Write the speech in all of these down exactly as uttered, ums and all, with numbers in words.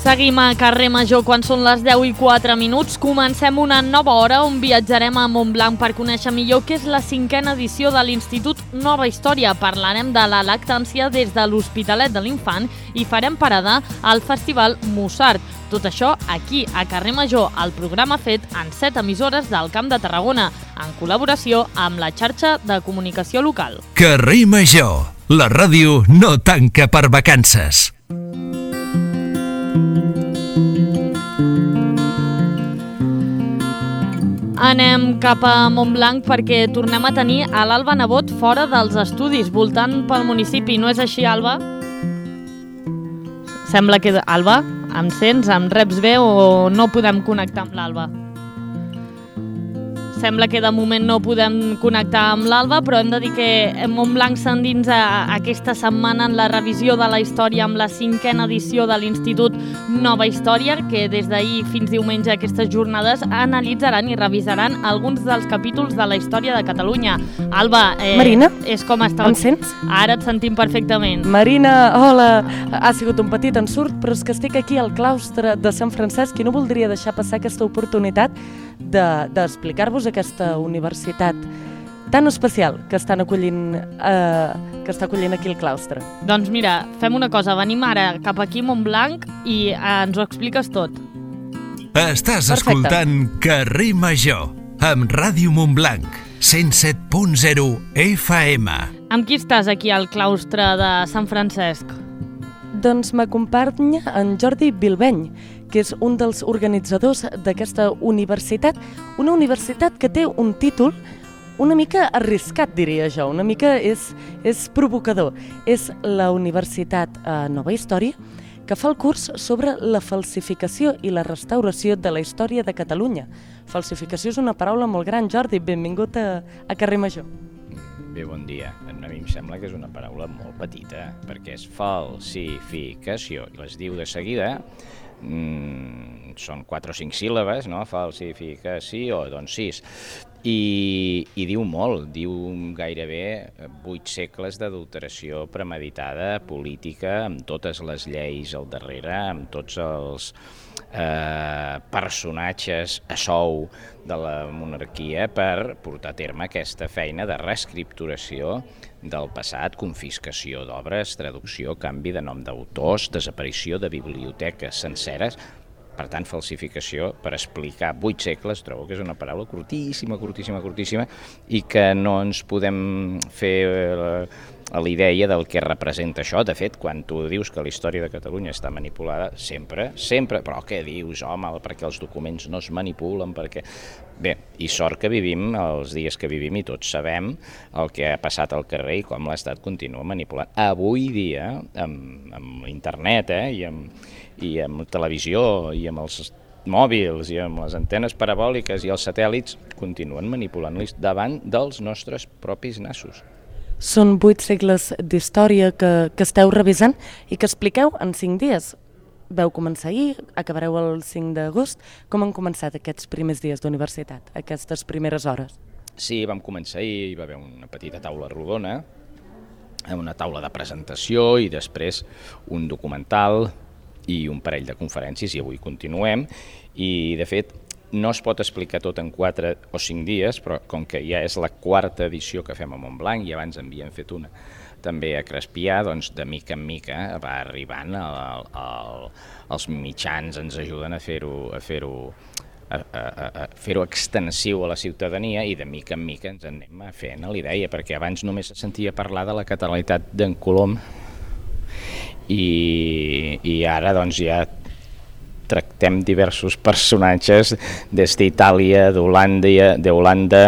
Seguim a Carrer Major quan són les deu i quatre minuts. Comencem una nova hora on viatjarem a Montblanc per conèixer millor què és la cinquena edició de l'Institut Nova Història. Parlarem de la lactància des de l'Hospitalet de l'Infant i farem parada al Festival Mussart. Tot això aquí, a Carrer Major, el programa fet en set emissores del Camp de Tarragona, en col·laboració amb la xarxa de comunicació local. Carrer Major, la ràdio no tanca per vacances. Anem cap a Montblanc perquè tornem a tenir a l'Alba Nebot fora dels estudis, voltant pel municipi. No és així, Alba? Sembla que... Alba, em sents? Em reps bé o no podem connectar amb l'Alba? Sembla que de moment no podem connectar amb l'Alba, però hem de dir que Montblanc s'endinsa aquesta setmana en la revisió de la història amb la cinquena edició de l'Institut Nova Història, que des d'ahir fins diumenge aquestes jornades analitzaran i revisaran alguns dels capítols de la història de Catalunya. Alba, eh, Marina, és com està... em sents? Ara et sentim perfectament. Marina, hola! Ha sigut un petit ensurt, però és que estic aquí al claustre de Sant Francesc i no voldria deixar passar aquesta oportunitat d'explicar-vos aquesta universitat tan especial que estan acollint, eh, que està acollint aquí el claustre. Doncs mira, fem una cosa, venim ara cap aquí a Montblanc i eh, ens ho expliques tot. Estàs Perfecte. escoltant Carrer Major amb Ràdio Montblanc, cent set punt zero F M. Amb qui estàs aquí al claustre de Sant Francesc? Doncs m'acompanya en Jordi Bilbeny, que és un dels organitzadors d'aquesta universitat, una universitat que té un títol una mica arriscat, diria jo, una mica és, és provocador. És la Universitat eh, Nova Història, que fa el curs sobre la falsificació i la restauració de la història de Catalunya. Falsificació és una paraula molt gran. Jordi, benvingut a, a Carrer Major. Bé, bon dia. A mi em sembla que és una paraula molt petita, perquè és falsificació, i les diu de seguida. Mm, són quatre o cinc síl·labes, no? Falsificació, doncs sis. I, i diu molt, diu gairebé vuit segles d'adulteració premeditada, política, amb totes les lleis al darrere, amb tots els eh, personatges a sou de la monarquia per portar a terme aquesta feina de reescripturació del passat, confiscació d'obres, traducció, canvi de nom d'autors, desaparició de biblioteques senceres. Per tant, falsificació, per explicar vuit segles, trobo que és una paraula curtíssima, curtíssima, curtíssima, i que no ens podem fer a la idea del que representa això. De fet, quan tu dius que la història de Catalunya està manipulada, sempre, sempre, però què dius, home, perquè els documents no es manipulen, perquè... Bé, i sort que vivim els dies que vivim i tots sabem el que ha passat al carrer i com l'Estat continua manipulant. Avui dia, amb, amb internet eh, i, amb, i amb televisió i amb els mòbils i amb les antenes parabòliques i els satèl·lits, continuen manipulant-los davant dels nostres propis nassos. Són vuit segles d'història que, que esteu revisant i que expliqueu en cinc dies. Veu començar ahir, acabareu el cinc d'agost. Com han començat aquests primers dies d'universitat, aquestes primeres hores? Sí, vam començar ahir, hi va haver una petita taula rodona, una taula de presentació i després un documental i un parell de conferències, i avui continuem. I, de fet, no es pot explicar tot en quatre o cinc dies, però com que ja és la quarta edició que fem a Montblanc i abans en havíem fet una també a Crespià, doncs de mica en mica va arribant, el, el, els mitjans ens ajuden a fer-ho a fer-ho a, a, a fer-ho extensiu a la ciutadania i de mica en mica ens anem fent a l'idea, perquè abans només se sentia parlar de la catalanitat d'en Colom i, i ara doncs ja tractem diversos personatges des d'Itàlia, d'Holanda, d'Holanda,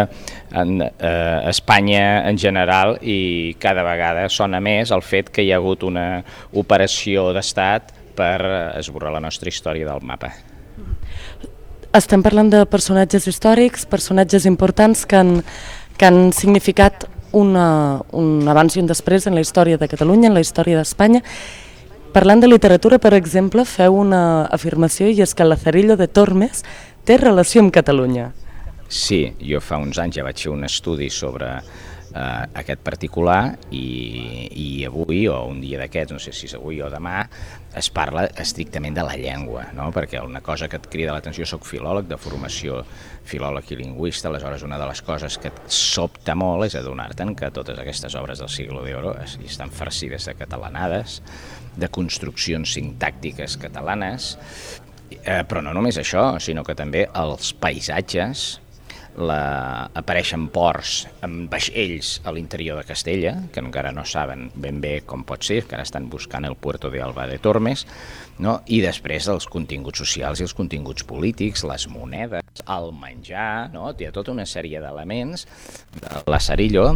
en eh, Espanya en general, i cada vegada sona més el fet que hi ha hagut una operació d'estat per esborrar la nostra història del mapa. Estem parlant de personatges històrics, personatges importants que han, que han significat una, un abans i un després en la història de Catalunya, en la història d'Espanya. Parlant de literatura, per exemple, feu una afirmació, i és que Lazarillo de Tormes té relació amb Catalunya. Sí, jo fa uns anys ja vaig fer un estudi sobre eh, aquest particular i, i avui, o un dia d'aquests, no sé si és avui o demà, es parla estrictament de la llengua, no? Perquè una cosa que et crida l'atenció, soc filòleg de formació, filòleg i lingüista, aleshores una de les coses que et sobta molt és adonar-te'n que totes aquestes obres del Siglo de Oro estan farcides de catalanades, de construccions sintàctiques catalanes, eh, però no només això, sinó que també els paisatges, la... apareixen ports amb vaixells a l'interior de Castella, que encara no saben ben bé com pot ser, que ara estan buscant el Puerto de Alba de Tormes, no? I després els continguts socials i els continguts polítics, les monedes, el menjar, no? Hi ha tota una sèrie d'elements de Lazarillo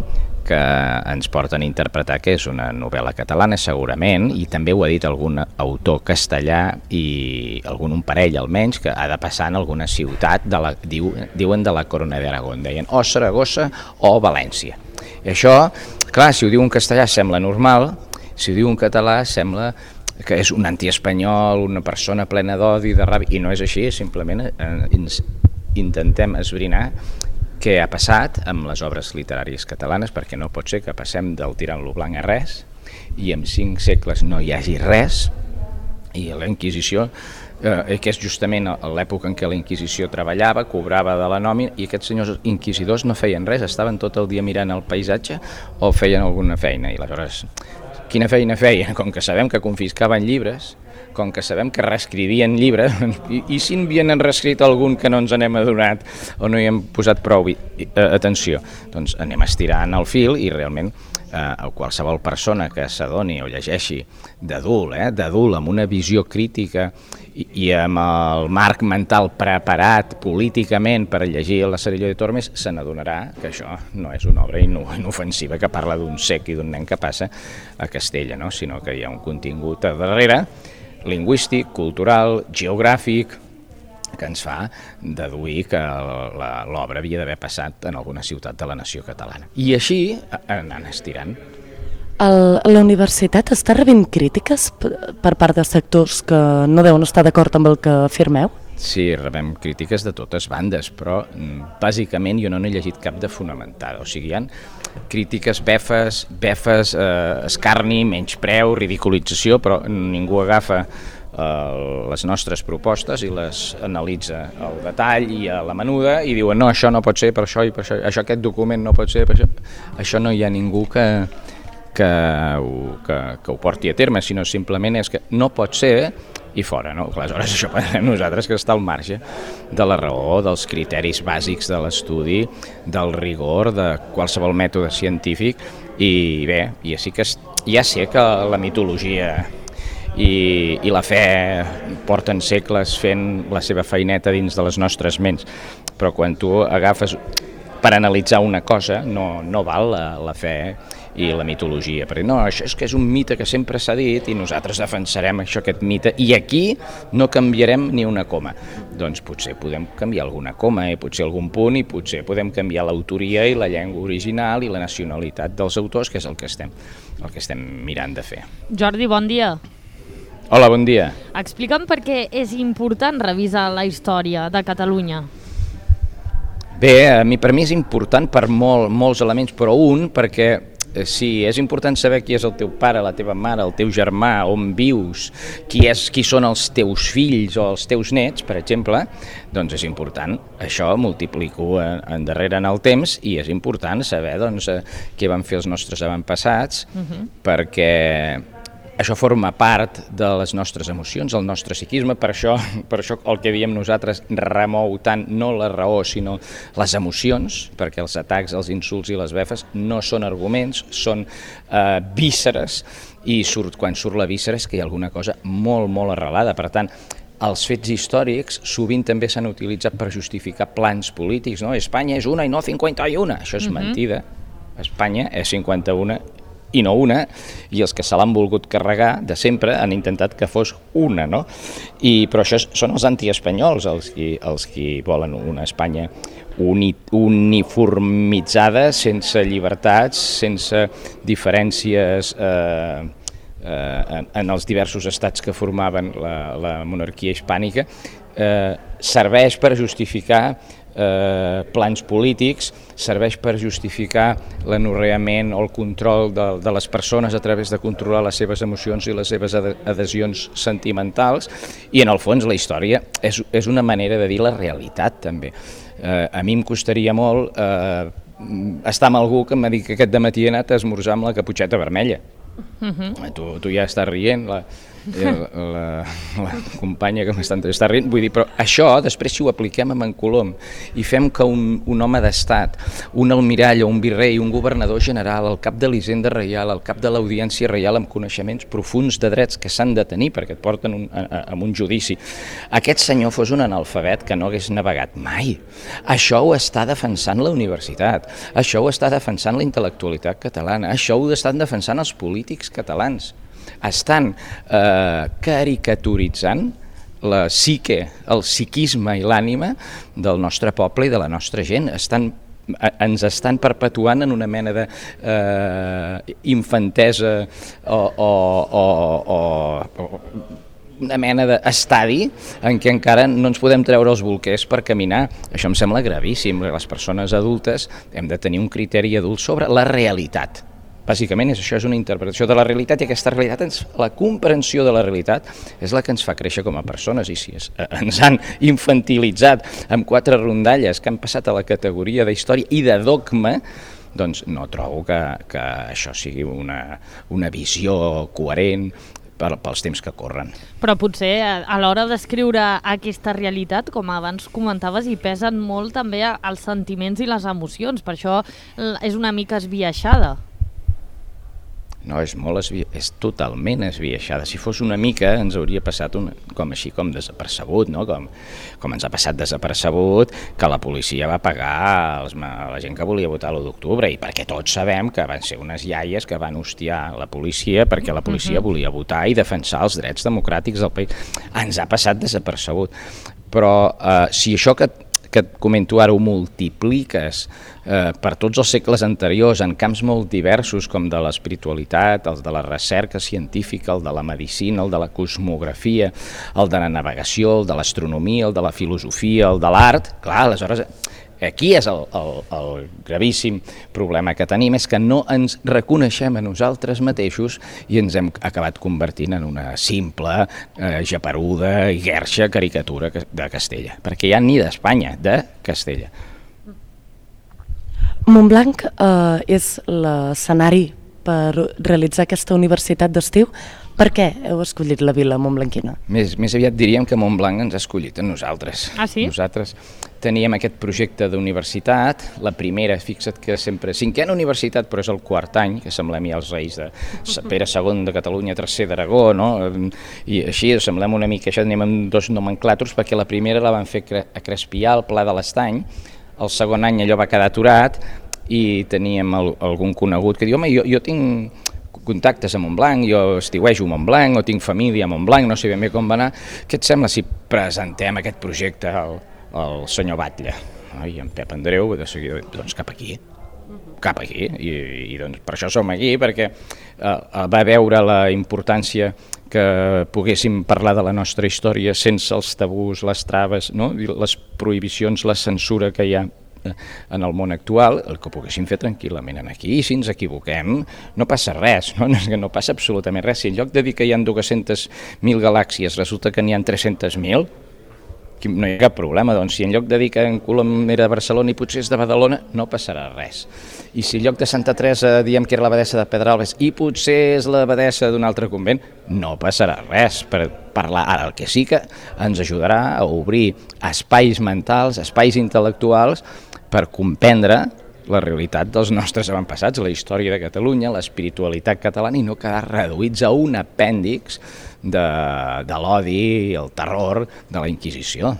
que ens porten a interpretar que és una novel·la catalana, segurament, i també ho ha dit algun autor castellà i algun un parell almenys, que ha de passar en alguna ciutat, de la, diu, diuen de la Corona d'Aragó, deien o Saragossa o València. I això, clar, si ho diu en castellà sembla normal, si ho diu en català sembla que és un antiespanyol, una persona plena d'odi, de ràbia, i no és així, simplement eh, intentem esbrinar què ha passat amb les obres literàries catalanes, perquè no pot ser que passem del tirant-lo blanc a res i en cinc segles no hi hagi res, i la Inquisició, eh, que és justament l'època en què la Inquisició treballava, cobrava de la nòmina, i aquests senyors inquisidors no feien res, estaven tot el dia mirant el paisatge o feien alguna feina, i aleshores quina feina feien? Com que sabem que confiscaven llibres, com que sabem que reescrivien llibres, i, i si n'havien reescrit algun que no ens n'hem adonat o no hi hem posat prou atenció, doncs anem estirant el fil i realment eh, qualsevol persona que s'adoni o llegeixi d'adult, eh, d'adult amb una visió crítica i, i amb el marc mental preparat políticament per llegir Lazarillo de Tormes, se n'adonarà que això no és una obra inofensiva que parla d'un cec i d'un nen que passa a Castella, no? Sinó que hi ha un contingut a darrere lingüístic, cultural, geogràfic, que ens fa deduir que l'obra havia d'haver passat en alguna ciutat de la nació catalana. I així anant estirant. El, la universitat està rebent crítiques per part de sectors que no deuen estar d'acord amb el que afirmeu? Sí, rebem crítiques de totes bandes, però bàsicament jo no n'he llegit cap de fonamentada. O sigui, hi ha crítiques befes, befes, eh, escarni, menyspreu, ridiculització, però ningú agafa eh, les nostres propostes i les analitza al detall i a la menuda i diuen no, això no pot ser per això i per això, això aquest document no pot ser per això. Això no hi ha ningú que, que, ho, que, que ho porti a terme, sinó simplement és que no pot ser i fora, no? Aleshores això pensem nosaltres que està al marge de la raó, dels criteris bàsics de l'estudi, del rigor, de qualsevol mètode científic, i bé, i així que ja sé que la mitologia i, i la fe porten segles fent la seva feineta dins de les nostres ments, però quan tu agafes per analitzar una cosa no, no val la, la fe i la mitologia, perquè no, això és que és un mite que sempre s'ha dit i nosaltres defensarem això, aquest mite, i aquí no canviarem ni una coma. Doncs potser podem canviar alguna coma i potser algun punt i potser podem canviar l'autoria i la llengua original i la nacionalitat dels autors, que és el que estem, el que estem mirant de fer. Jordi, bon dia. Hola, bon dia. Explica'm per què és important revisar la història de Catalunya. Bé, a mi, per mi és important per molt, molts elements, però un, perquè sí, és important saber qui és el teu pare, la teva mare, el teu germà, on vius, qui, és, qui són els teus fills o els teus nets, per exemple, doncs és important. Això multiplico endarrere en el temps i és important saber doncs, què van fer els nostres avantpassats, uh-huh. perquè això forma part de les nostres emocions, el nostre psiquisme, per això, per això el que diem nosaltres remou tant no la raó sinó les emocions, perquè els atacs, els insults i les befes no són arguments, són eh, vísceres, i surt, quan surt la víscera és que hi ha alguna cosa molt, molt arrelada. Per tant, els fets històrics sovint també s'han utilitzat per justificar plans polítics, no? Espanya és una i no cinquanta-una, això és uh-huh. mentida. Espanya és cinquanta-una i no una, i els que se l'han volgut carregar de sempre han intentat que fos una, no? I, però això són els antiespanyols, els qui, els qui volen una Espanya uni, uniformitzada, sense llibertats, sense diferències eh, eh, en, en els diversos estats que formaven la, la monarquia hispànica, eh, serveix per justificar eh, plans polítics, serveix per justificar l'anorreament o el control de, de les persones a través de controlar les seves emocions i les seves adhesions sentimentals, i en el fons la història és, és una manera de dir la realitat també. Eh, a mi em costaria molt eh, estar amb algú que m'ha dit que aquest dematí he anat a esmorzar amb la caputxeta vermella. Uh-huh. tu, tu ja estàs rient, la, la, la, la companya que m'està està rient, vull dir, però això després si ho apliquem a en Colom i fem que un, un home d'estat, un almirall o un virrei, un governador general, el cap de l'Hisenda Reial, el cap de l'Audiència Reial amb coneixements profuns de drets que s'han de tenir perquè et porten un, a, a un judici, aquest senyor fos un analfabet que no hagués navegat mai. Això ho està defensant la universitat, això ho està defensant la intel·lectualitat catalana, això ho estan defensant els polítics catalans. Estan eh, caricaturitzant la psique, el psiquisme i l'ànima del nostre poble i de la nostra gent. Estan, ens estan perpetuant en una mena de eh, infantesa o, o, o, o, o una mena d'estadi en què encara no ens podem treure els bolquers per caminar. Això em sembla gravíssim. Les persones adultes hem de tenir un criteri adult sobre la realitat. Bàsicament és això, és una interpretació de la realitat, i aquesta realitat, ens, la comprensió de la realitat és la que ens fa créixer com a persones, i si es, eh, ens han infantilitzat amb quatre rondalles que han passat a la categoria d'història i de dogma, doncs no trobo que, que això sigui una, una visió coherent per, pels temps que corren. Però potser a l'hora d'escriure aquesta realitat, com abans comentaves, hi pesen molt també els sentiments i les emocions, per això és una mica esbiaixada. No, és molt esbi... és totalment esbiaixada. Si fos una mica ens hauria passat una... com així com desapercebut, no? Com, com ens ha passat desapercebut que la policia va pagar els... la gent que volia votar l'u d'octubre, i perquè tots sabem que van ser unes iaies que van hostiar la policia perquè la policia volia votar i defensar els drets democràtics del país. Ens ha passat desapercebut. Però eh, si això que que et comento ara ho multipliques eh, per tots els segles anteriors en camps molt diversos com de l'espiritualitat, el de la recerca científica, el de la medicina, el de la cosmografia, el de la navegació, el de l'astronomia, el de la filosofia, el de l'art, clar, aleshores aquí és el, el, el gravíssim problema que tenim, és que no ens reconeixem a nosaltres mateixos i ens hem acabat convertint en una simple, eh, japeruda i guerxa caricatura de Castella, perquè ja ni d'Espanya, de Castella. Montblanc eh, és l'escenari per realitzar aquesta universitat d'estiu. Per què heu escollit la vila montblanquina? Més, més aviat diríem que Montblanc ens ha escollit a nosaltres. Ah, sí? Nosaltres teníem aquest projecte d'universitat, la primera, fixa't que sempre, cinquena universitat, però és el quart any, que semblem ja els reis de Pere segon de Catalunya, tercer d'Aragó, no? I així semblem una mica, això anem amb dos nomenclàtors, perquè la primera la van fer a Crespià, al Pla de l'Estany, el segon any allò va quedar aturat, i teníem el, algun conegut que diu, home, jo, jo tinc contactes a Montblanc, jo estiuejo a Montblanc o tinc família a Montblanc, no sé ben bé com va anar, què et sembla si presentem aquest projecte al, al senyor Batlle? I en Pep Andreu, de seguida, doncs cap aquí, cap aquí, i, i doncs per això som aquí, perquè eh, va veure la importància que poguéssim parlar de la nostra història sense els tabús, les traves, no? Les prohibicions, la censura que hi ha en el món actual, el que poguéssim fer tranquil·lament aquí, i si ens equivoquem no passa res, no, no passa absolutament res. Si en lloc de dir que hi ha dues-centes mil galàxies resulta que n'hi ha tres-centes mil, no hi ha cap problema. Doncs si en lloc de dir que en Colom era de Barcelona i potser és de Badalona, no passarà res. I si en lloc de Santa Teresa diem que era l'abadessa de Pedralbes i potser és l'abadessa d'un altre convent, no passarà res per parlar. Ara, el que sí que ens ajudarà a obrir espais mentals, espais intel·lectuals per comprendre la realitat dels nostres avantpassats, la història de Catalunya, l'espiritualitat catalana, i no quedar reduïts a un apèndix de, de l'odi i el terror de la Inquisició.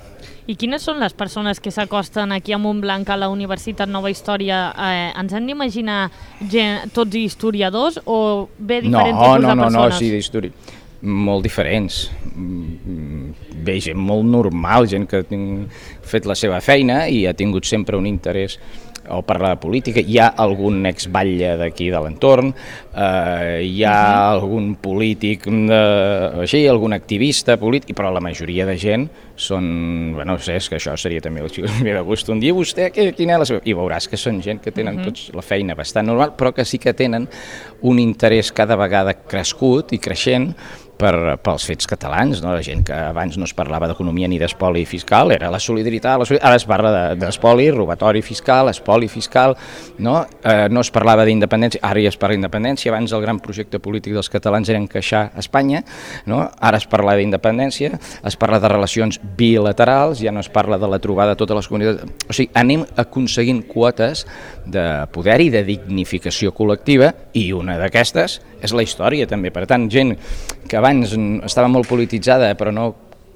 I quines són les persones que s'acosten aquí a Montblanc, a la Universitat Nova Història? Eh, ens hem d'imaginar gent, tots historiadors o bé diferents no, tipus no, de persones? No, no, sí, d'història. Molt diferents, bé, gent molt normal, gent que ha fet la seva feina i ha tingut sempre un interès o parla de política, hi ha algun exbatlle d'aquí de l'entorn, eh, hi ha uh-huh. algun polític, de, així, algun activista polític, però la majoria de gent són, bueno, no sé, és que això seria també el xic de gust un dia, vostè, quina és la seva... I veuràs que són gent que tenen uh-huh. tots la feina bastant normal, però que sí que tenen un interès cada vegada crescut i creixent per, pels fets catalans, no? La gent que abans no es parlava d'economia ni d'espoli fiscal, era la solidaritat, la solidaritat. Ara es parla d'espoli, de, robatori fiscal, espoli fiscal, no? Eh, no es parlava d'independència, ara ja es parla d'independència, abans el gran projecte polític dels catalans era encaixar Espanya, no? Ara es parla d'independència, es parla de relacions bilaterals, ja no es parla de la trobada de totes les comunitats, o sigui, anem aconseguint quotes de poder i de dignificació col·lectiva, i una d'aquestes és la història també, per tant, gent que abans estava molt polititzada però no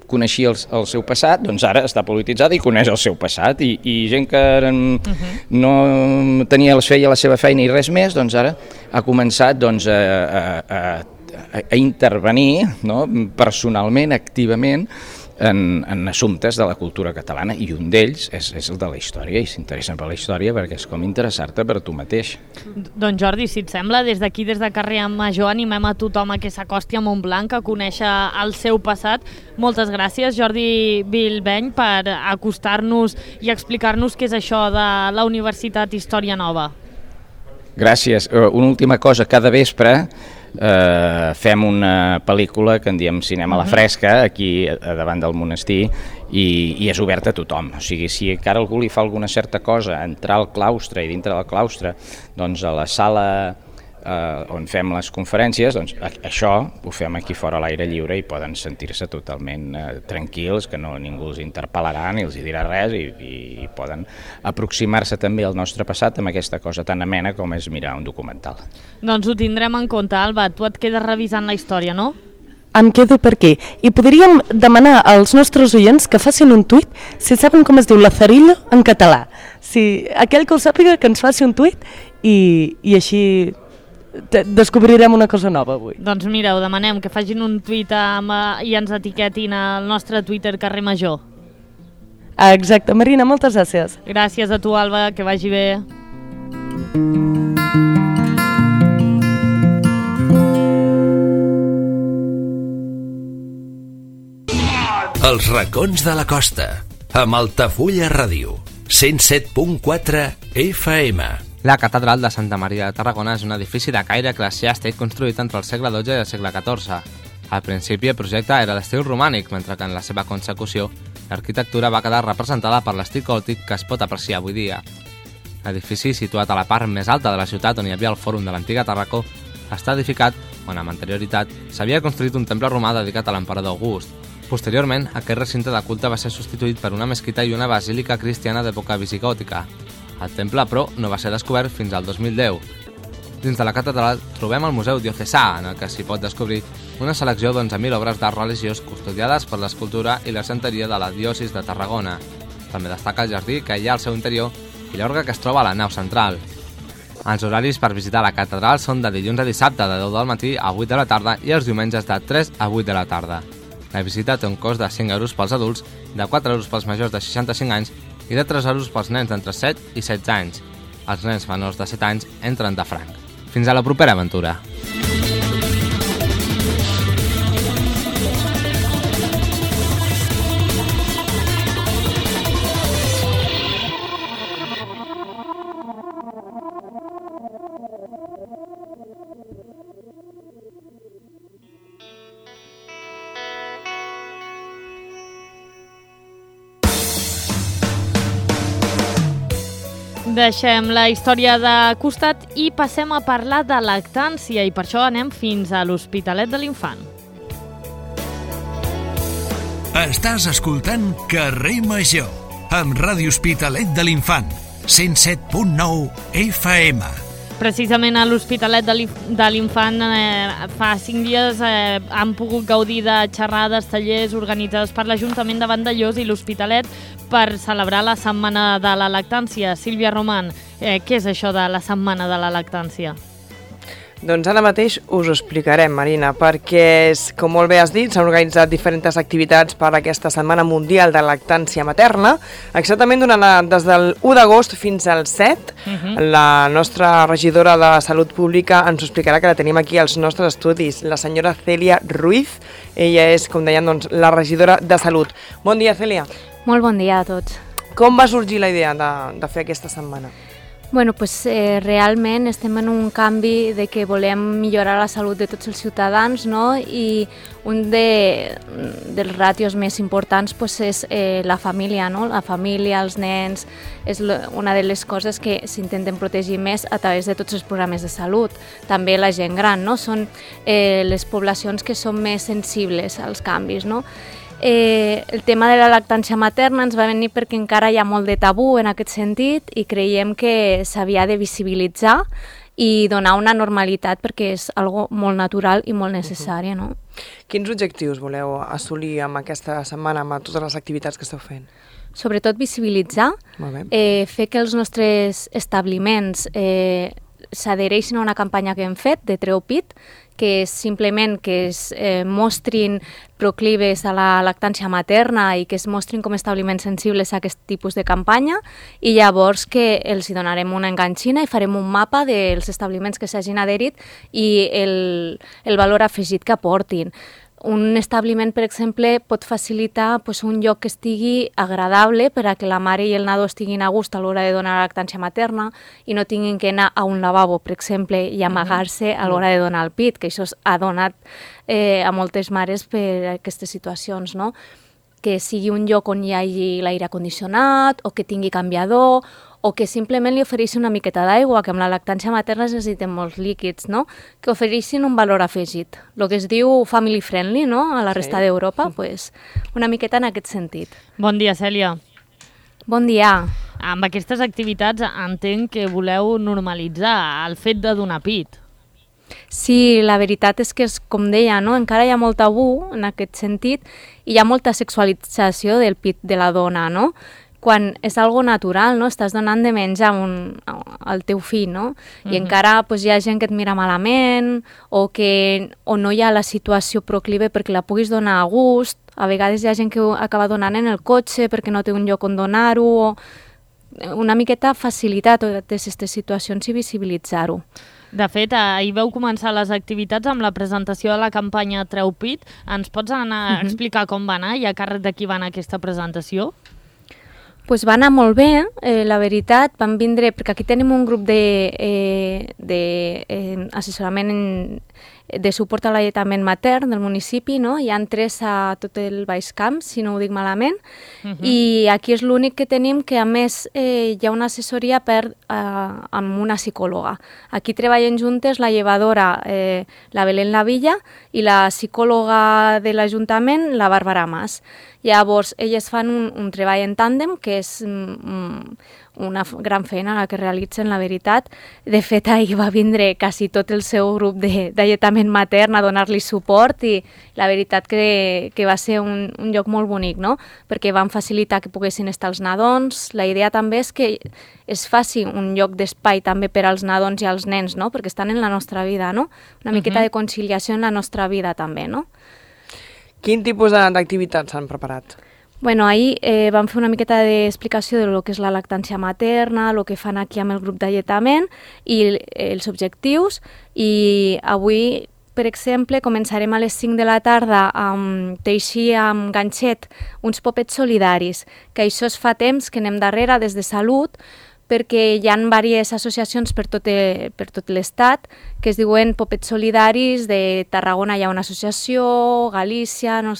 coneixia el, el seu passat, doncs ara està polititzada i coneix el seu passat, i, i gent que uh-huh. no tenia, feia la seva feina i res més, doncs ara ha començat doncs, a, a, a, a intervenir, no? Personalment, activament, En, en assumptes de la cultura catalana, i un d'ells és, és el de la història, i s'interessen per la història perquè és com interessar-te per tu mateix. Doncs Jordi, si et sembla, des d'aquí, des de Carrer Major, animem a tothom a que s'acosti a Montblanc, a conèixer el seu passat. Moltes gràcies, Jordi Bilbeny, per acostar-nos i explicar-nos què és això de la Universitat Història Nova. Gràcies. Una última cosa, cada vespre eh, fem una pel·lícula que en diem Cinema a la Fresca, aquí davant del monestir, i, i és oberta a tothom. O sigui, si encara algú li fa alguna certa cosa, entrar al claustre i dintre del claustre, doncs a la sala eh, on fem les conferències, doncs això ho fem aquí fora a l'aire lliure i poden sentir-se totalment eh, tranquils, que no ningú els interpel·larà ni els hi dirà res, i, i, i poden aproximar-se també al nostre passat amb aquesta cosa tan amena com és mirar un documental. Doncs ho tindrem en compte, Alba. Tu et quedes revisant la història, no? Em quedo per aquí. I podríem demanar als nostres oients que facin un tuit si saben com es diu Lazarillo en català. Si aquell que ho sàpiga, que ens faci un tuit, i, i així descobrirem una cosa nova avui. Doncs mira, ho demanem, que facin un tuit amb, i ens etiquetin al nostre Twitter Carrer Major. Ah, exacte. Marina, moltes gràcies. Gràcies a tu, Alba, que vagi bé. Els racons de la costa, amb Altafulla Ràdio, cent set punt quatre F M. La catedral de Santa Maria de Tarragona és un edifici de caire eclesiàstic construït entre el segle dotze i el segle catorze. Al principi el projecte era d'estil romànic, mentre que en la seva consecució l'arquitectura va quedar representada per l'estil gòtic que es pot apreciar avui dia. L'edifici, situat a la part més alta de la ciutat on hi havia el fòrum de l'antiga Tarracó, està edificat quan amb anterioritat s'havia construït un temple romà dedicat a l'emperador August. Posteriorment, aquest recinte de culte va ser substituït per una mesquita i una basílica cristiana d'època visigòtica. El temple, però, no va ser descobert fins al dos mil deu. Dins de la catedral trobem el Museu Diocesà, en el que s'hi pot descobrir una selecció d'onze mil obres d'art religiós custodiades per l'escultura i la santeria de la diòcesi de Tarragona. També destaca el jardí que hi ha al seu interior i l'orgue que es troba a la nau central. Els horaris per visitar la catedral són de dilluns a dissabte de deu del matí a vuit de la tarda i els diumenges de tres a vuit de la tarda. La visita té un cost de cinc euros pels adults, de quatre euros pels majors de seixanta-cinc anys i de tres euros pels nens d'entre set i setze anys. Els nens menors de set anys entren de franc. Fins a la propera aventura! Deixem la història de costat i passem a parlar de lactància, i per això anem fins a l'Hospitalet de l'Infant. Estàs escoltant Carrer Major, amb Ràdio Hospitalet de l'Infant, cent set punt nou F M. Precisament a l'Hospitalet de l'Infant eh, fa cinc dies eh, han pogut gaudir de xerrades, tallers organitzats per l'Ajuntament de Vandellòs i l'Hospitalet per celebrar la Setmana de la Lactància. Sílvia Roman, eh, què és això de la Setmana de la Lactància? Doncs ara mateix us ho explicarem, Marina, perquè, com molt bé has dit, s'han organitzat diferents activitats per aquesta Setmana Mundial de Lactància Materna. Exactament durant la, des del u d'agost fins al set, uh-huh. La nostra regidora de Salut Pública ens ho explicarà, que la tenim aquí als nostres estudis, la senyora Cèlia Ruiz. Ella és, com deien, doncs, la regidora de Salut. Bon dia, Cèlia. Molt bon dia a tots. Com va sorgir la idea de, de fer aquesta setmana? Bueno, pues, eh, realment estem en un canvi de que volem millorar la salut de tots els ciutadans, no? I un de, dels ràtios més importants pues, és eh, la família, no? La família, els nens, és una de les coses que s'intenten protegir més a través de tots els programes de salut. També la gent gran, no? Són eh, les poblacions que són més sensibles als canvis, no? Eh, el tema de la lactància materna ens va venir perquè encara hi ha molt de tabú en aquest sentit i creiem que s'havia de visibilitzar i donar una normalitat perquè és algo molt natural i molt necessari, no? Quins objectius voleu assolir amb aquesta setmana, amb totes les activitats que esteu fent? Sobretot visibilitzar, eh, fer que els nostres establiments eh, s'adhereixin a una campanya que hem fet de Treu Pit, que és simplement que es eh, mostrin proclives a la lactància materna i que es mostrin com establiments sensibles a aquest tipus de campanya, i llavors que els hi donarem una enganxina i farem un mapa dels establiments que s'hagin adherit i el, el valor afegit que aportin. Un establiment, per exemple, pot facilitar pues, un lloc que estigui agradable per a que la mare i el nadó estiguin a gust a l'hora de donar la lactància materna i no tinguin que anar a un lavabo, per exemple, i amagar-se a l'hora de donar el pit, que això ha donat eh, a moltes mares per aquestes situacions, no? Que sigui un lloc on hi hagi l'aire condicionat o que tingui canviador o que simplement li ofereixi una miqueta d'aigua, que amb la lactància materna es necessiten molts líquids, no? Que ofereixin un valor afegit. El que es diu family friendly, no? A la resta sí. d'Europa, pues, una miqueta en aquest sentit. Bon dia, Cèlia. Bon dia. Amb aquestes activitats entenc que voleu normalitzar el fet de donar pit. Sí, la veritat és que, és, com deia, no? Encara hi ha molt tabú en aquest sentit i hi ha molta sexualització del pit de la dona, no? Quan és algo natural, no? Estàs donant de menjar un, al teu fill, no? I uh-huh. encara pues, hi ha gent que et mira malament o que o no hi ha la situació proclive perquè la puguis donar a gust. A vegades hi ha gent que acaba donant en el cotxe perquè no té un lloc on donar-ho. O una miqueta facilitar totes aquestes situacions i visibilitzar-ho. De fet, ahir vau començar les activitats amb la presentació de la campanya Treu Pit. Ens pots anar a explicar com va anar i a càrrec de qui va anar aquesta presentació? Pues va anar molt bé, eh, la veritat, van vindre, perquè aquí tenim un grup de, eh, de eh, assessorament en, de suport a l'alletament matern del municipi, no? Hi ha tres a tot el Baix Camp, si no ho dic malament, uh-huh. i aquí és l'únic que tenim que, a més, eh, hi ha una assessoria per, eh, amb una psicòloga. Aquí treballen juntes la llevadora, eh, la Belén Lavilla, i la psicòloga de l'Ajuntament, la Bàrbara Mas. Llavors, elles fan un, un treball en tàndem, que és mm, una gran feina la que realitzen, la veritat. De fet, ahir va vindre quasi tot el seu grup d'alletament matern a donar-li suport i la veritat que, que va ser un, un lloc molt bonic, no? Perquè van facilitar que poguessin estar els nadons. La idea també és que es faci un lloc d'espai també per als nadons i als nens, no? Perquè estan en la nostra vida, no? Una miqueta uh-huh. de conciliació en la nostra vida també, no? Quin tipus d'activitats s'han preparat? Bueno, ahir eh, vam fer una miqueta d'explicació de lo que és la lactància materna, el que fan aquí amb el grup d'alletament i els objectius. I avui, per exemple, començarem a les cinc de la tarda amb teixir amb ganxet uns popets solidaris, que això es fa temps que anem darrere des de Salut, perquè hi ha diverses associacions per tot, per tot l'estat que es diuen Popets Solidaris. De Tarragona hi ha una associació, Galícia, no...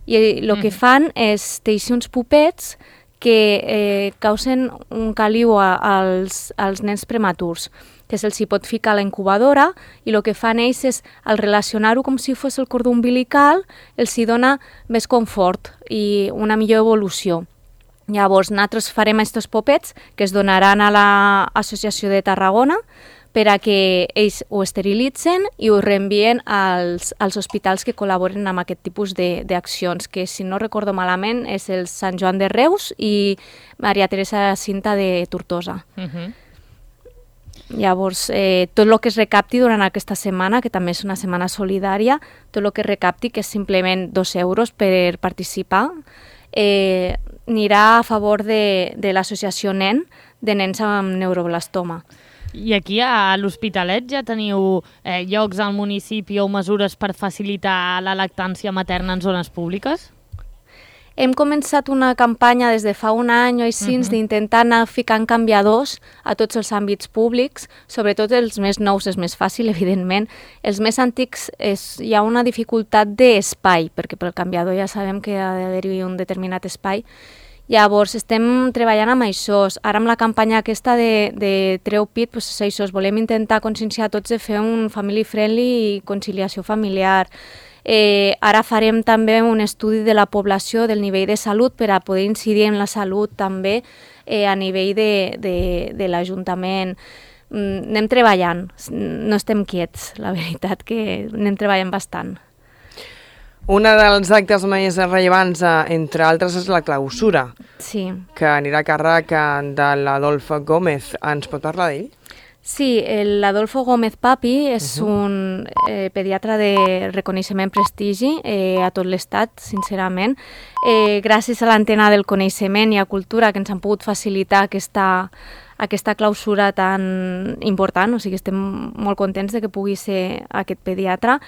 i el que fan és teixir uns popets que eh, causen un caliu a, als, als nens prematurs, que se'ls hi pot ficar a la incubadora, i el que fan ells és, al relacionar-ho com si fos el cordó umbilical, els hi dona més confort i una millor evolució. Llavors, nosaltres farem aquests popets que es donaran a l'Associació de Tarragona per a que ells ho esterilitzen i ho reenvien als, als hospitals que col·laboren amb aquest tipus d'accions, que, si no recordo malament, és el Sant Joan de Reus i Maria Teresa Cinta de Tortosa. Uh-huh. Llavors, eh, tot el que es recapti durant aquesta setmana, que també és una setmana solidària, tot el que es recapti, que és simplement dos euros per participar, eh, anirà a favor de, de l'associació Nen, de nens amb neuroblastoma. I aquí a l'Hospitalet ja teniu eh, llocs al municipi o mesures per facilitar la lactància materna en zones públiques? Hem començat una campanya des de fa un any o així uh -huh. d'intentar anar ficant canviadors a tots els àmbits públics, sobretot els més nous és més fàcil, evidentment. Els més antics és, hi ha una dificultat d'espai, perquè pel canviador ja sabem que ha d'haver-hi un determinat espai. Llavors, estem treballant amb això. Ara amb la campanya aquesta de, de Treu Pit, doncs és això, volem intentar conscienciar tots de fer un family friendly i conciliació familiar. Eh, ara farem també un estudi de la població, del nivell de salut, per a poder incidir en la salut també eh, a nivell de, de, de l'Ajuntament. Mm, anem treballant, no estem quiets, la veritat que anem treballant bastant. Un dels actes més rellevants, entre altres, és la clausura, sí. que anirà a càrrec de l'Adolf Gómez. Ens pot parlar d'ell? Sí, l'Adolfo Gómez Papi és uh-huh. un eh, pediatre de reconeixement prestigi eh, a tot l'estat, sincerament. Eh, gràcies a l'antena del coneixement i a cultura que ens han pogut facilitar aquesta, aquesta clausura tan important, o sigui, estem molt contents de que pugui ser aquest pediatre,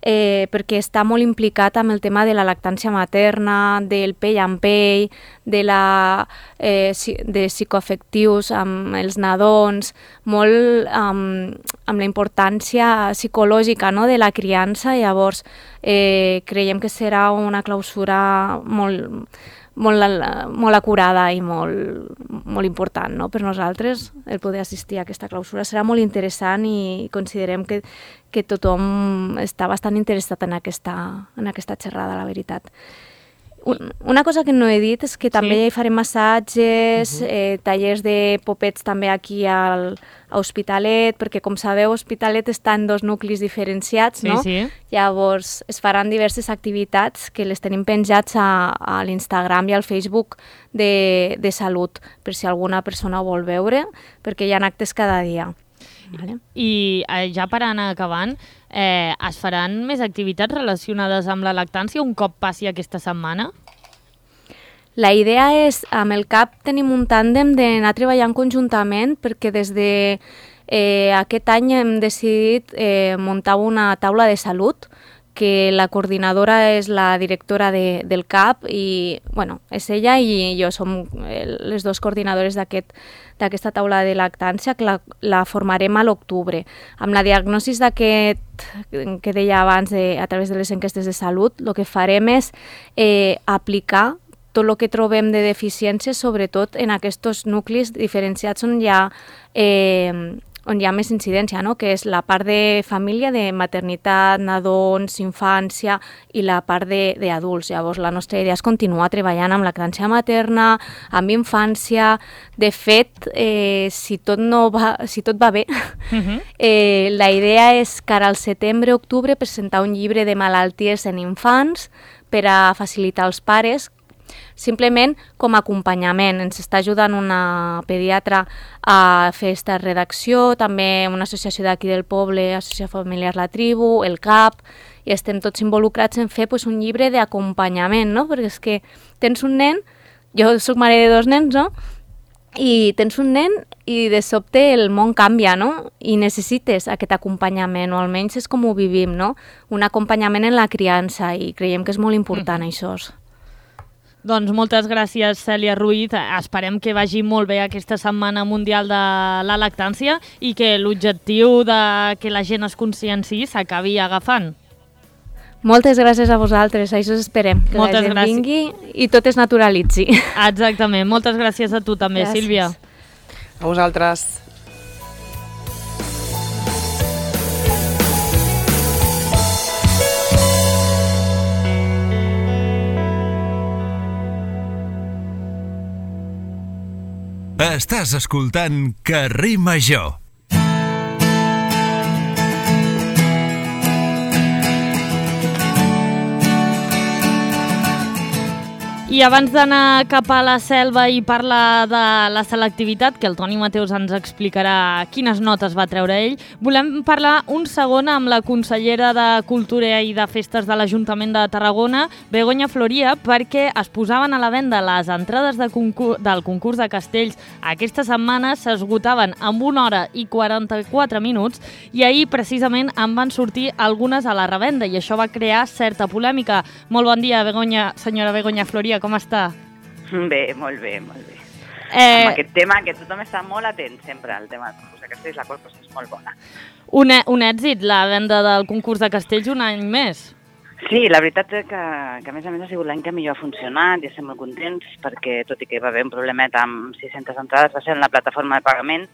eh, perquè està molt implicat amb el tema de la lactància materna, del pell amb pell, de, la, eh, de psicoafectius amb els nadons, molt amb, amb la importància psicològica, no?, de la criança. Llavors eh, creiem que serà una clausura molt, molt, molt acurada i molt, molt important, no?, per nosaltres el poder assistir a aquesta clausura. Serà molt interessant i considerem que, que tothom està bastant interessat en aquesta, en aquesta xerrada, la veritat. Una cosa que no he dit és que també sí. farem massatges, uh-huh. eh, tallers de popets també aquí al, a Hospitalet, perquè com sabeu Hospitalet està en dos nuclis diferenciats, sí, no? Sí. Llavors es faran diverses activitats que les tenim penjats a, a l'Instagram i al Facebook de, de salut, per si alguna persona ho vol veure, perquè hi ha actes cada dia. Vale. I eh, ja per anar acabant, eh, es faran més activitats relacionades amb la lactància un cop passi aquesta setmana? La idea és, amb el C A P tenim un tàndem d'anar treballant conjuntament, perquè des de eh, aquest any hem decidit eh, muntar una taula de salut, que la coordinadora és la directora de, del C A P i, bueno, és ella i jo som les dues coordinadores d'aquest d'aquesta taula de lactància, que la, la formarem a l'octubre. Amb la diagnosi d'aquest, que deia abans, de, a través de les enquestes de salut, el que farem és eh, aplicar tot el que trobem de deficiències, sobretot en aquests nuclis diferenciats on hi ha, eh, on hi ha més incidència, no?, que és la part de família, de maternitat, nadons, infància i la part d'adults. Llavors, la nostra idea és continuar treballant amb lactància materna, amb infància. De fet, eh, si, tot no va, si tot va bé, uh-huh. eh, la idea és que ara al setembre-octubre presentar un llibre de malalties en infants per a facilitar als pares, simplement com a acompanyament. Ens està ajudant una pediatra a fer aquesta redacció, també una associació d'aquí del poble, Associació Familiar La Tribu, el C A P, i estem tots involucrats en fer pues, un llibre d'acompanyament, no? Perquè és que tens un nen, jo soc mare de dos nens, no?, i tens un nen i de sobte el món canvia, no?, i necessites aquest acompanyament, o almenys és com ho vivim, no?, un acompanyament en la criança, i creiem que és molt important mm. això. Doncs moltes gràcies, Cèlia Ruiz. Esperem que vagi molt bé aquesta Setmana Mundial de la Lactància i que l'objectiu de que la gent es conscienciï s'acabi agafant. Moltes gràcies a vosaltres, això esperem, que moltes la gent gràcies. Vingui i tot es naturalitzi. Exactament, moltes gràcies a tu també, gràcies. Sílvia. A vosaltres. Estàs escoltant Carrer Major. I abans d'anar cap a la selva i parlar de la selectivitat, que el Toni Mateus ens explicarà quines notes va treure ell, volem parlar un segon amb la consellera de Cultura i de Festes de l'Ajuntament de Tarragona, Begoña Floria, perquè es posaven a la venda les entrades de concurs, del concurs de castells. Aquesta setmana s'esgotaven en una hora i quaranta-quatre minuts i ahir precisament en van sortir algunes a la revenda i això va crear certa polèmica. Molt bon dia, Begoña, senyora Begoña Floria. Com està? Bé, molt bé, molt bé. Eh... Amb aquest tema, que tothom està molt atent sempre al tema del concurs de castells, la qual cosa és molt bona. Un, un èxit, la venda del concurs de castells un any més. Sí, la veritat és que, que a més a més ha sigut l'any que millor ha funcionat i estem molt contents perquè, tot i que va haver un problemet amb sis-centes entrades, va ser en la plataforma de pagament,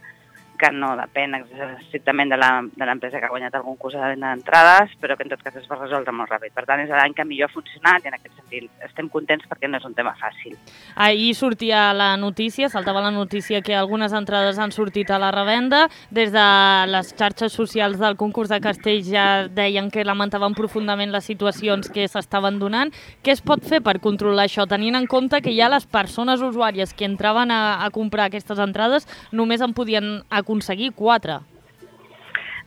que no depèn estrictament de l'empresa que ha guanyat el concurs de venda d'entrades, però que en tot cas es va resoldre molt ràpid. Per tant, és l'any que millor ha funcionat i en aquest sentit estem contents perquè no és un tema fàcil. Ahir sortia la notícia, saltava la notícia que algunes entrades han sortit a la revenda. Des de les xarxes socials del concurs de castells ja deien que lamentaven profundament les situacions que s'estaven donant. Què es pot fer per controlar això, tenint en compte que ja les persones usuàries que entraven a, a comprar aquestes entrades només en podien aconseguir quatre?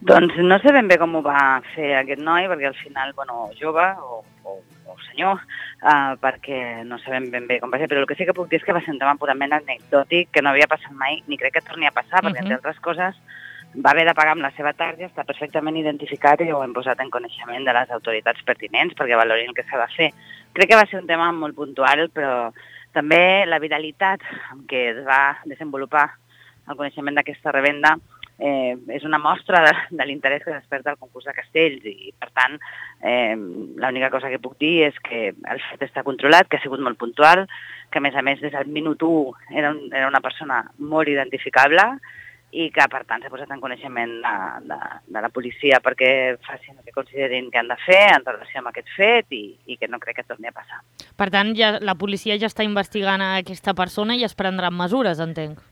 Doncs no sé ben bé com ho va fer aquest noi, perquè al final, bueno, jove o, o, o senyor, uh, perquè no sabem ben bé com va ser, però el que sí que puc dir és que va ser un tema purament anecdòtic, que no havia passat mai, ni crec que torni a passar, perquè, uh-huh. entre altres coses, va haver de pagar amb la seva tarja, està perfectament identificat i ho hem posat en coneixement de les autoritats pertinents perquè valorin el que s'ha de fer. Crec que va ser un tema molt puntual, però també la viralitat amb què es va desenvolupar el coneixement d'aquesta revenda eh, és una mostra de, de l'interès que desperta el concurs de castells i, per tant, eh, l'única cosa que puc dir és que el fet està controlat, que ha sigut molt puntual, que a més a més des del minut u era, un, era una persona molt identificable i que, per tant, s'ha posat en coneixement de, de, de la policia perquè facin el que considerin que han de fer en relació amb aquest fet i, i que no crec que torni a passar. Per tant, ja, la policia ja està investigant a aquesta persona i es prendran mesures, entenc.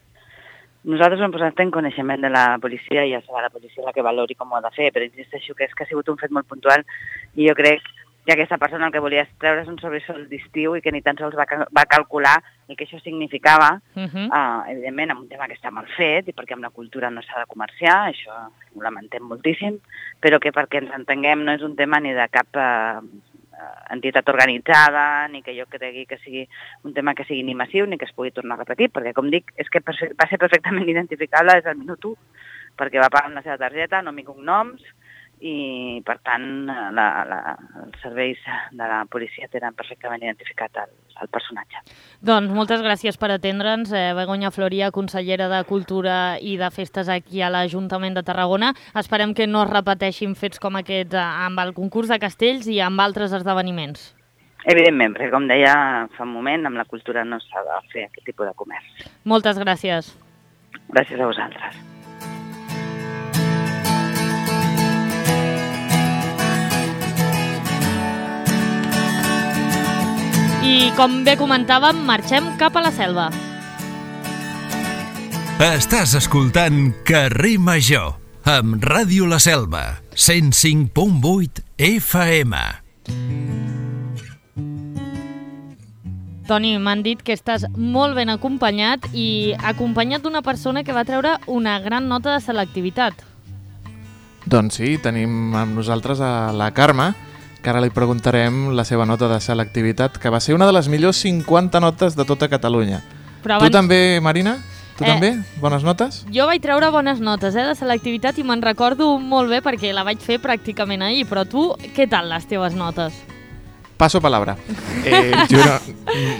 Nosaltres ho hem posat en coneixement de la policia i ja serà la policia la que valori com ho ha de fer, però insisteixo que és que ha sigut un fet molt puntual i jo crec que aquesta persona el que volia treure és un sobresol d'estiu i que ni tan sols va, va calcular el que això significava, uh-huh. uh, evidentment, amb un tema que està mal fet i perquè amb la cultura no s'ha de comerciar, això ho lamentem moltíssim, però que perquè ens entenguem no és un tema ni de cap uh, entitat organitzada, ni que jo cregui que sigui un tema que sigui ni massiu ni que es pugui tornar a repetir, perquè, com dic, és que va ser perfectament identificable des del minut u, perquè va pagar amb la seva targeta, nom i cognoms, i, per tant, la, la, els serveis de la policia tenen perfectament identificat el, el personatge. Doncs moltes gràcies per atendre'ns, eh, Begoña Floria, consellera de Cultura i de Festes aquí a l'Ajuntament de Tarragona. Esperem que no es repeteixin fets com aquests amb el concurs de castells i amb altres esdeveniments. Evidentment, perquè com deia fa un moment, amb la cultura no s'ha de fer aquest tipus de comerç. Moltes gràcies. Gràcies a vosaltres. I, com bé comentàvem, marxem cap a la selva. Estàs escoltant Carrer Major, amb Ràdio La Selva, cent cinc punt vuit F M. Toni, m'han dit que estàs molt ben acompanyat i acompanyat d'una persona que va treure una gran nota de selectivitat. Doncs sí, tenim amb nosaltres a la Carme, que ara li preguntarem la seva nota de selectivitat, que va ser una de les millors cinquanta notes de tota Catalunya. Però abans... Tu també, Marina? Tu eh, també? Bones notes? Jo vaig treure bones notes eh, de selectivitat i me'n recordo molt bé perquè la vaig fer pràcticament ahir, però tu, què tal les teves notes? Passo palabra. Eh, juro,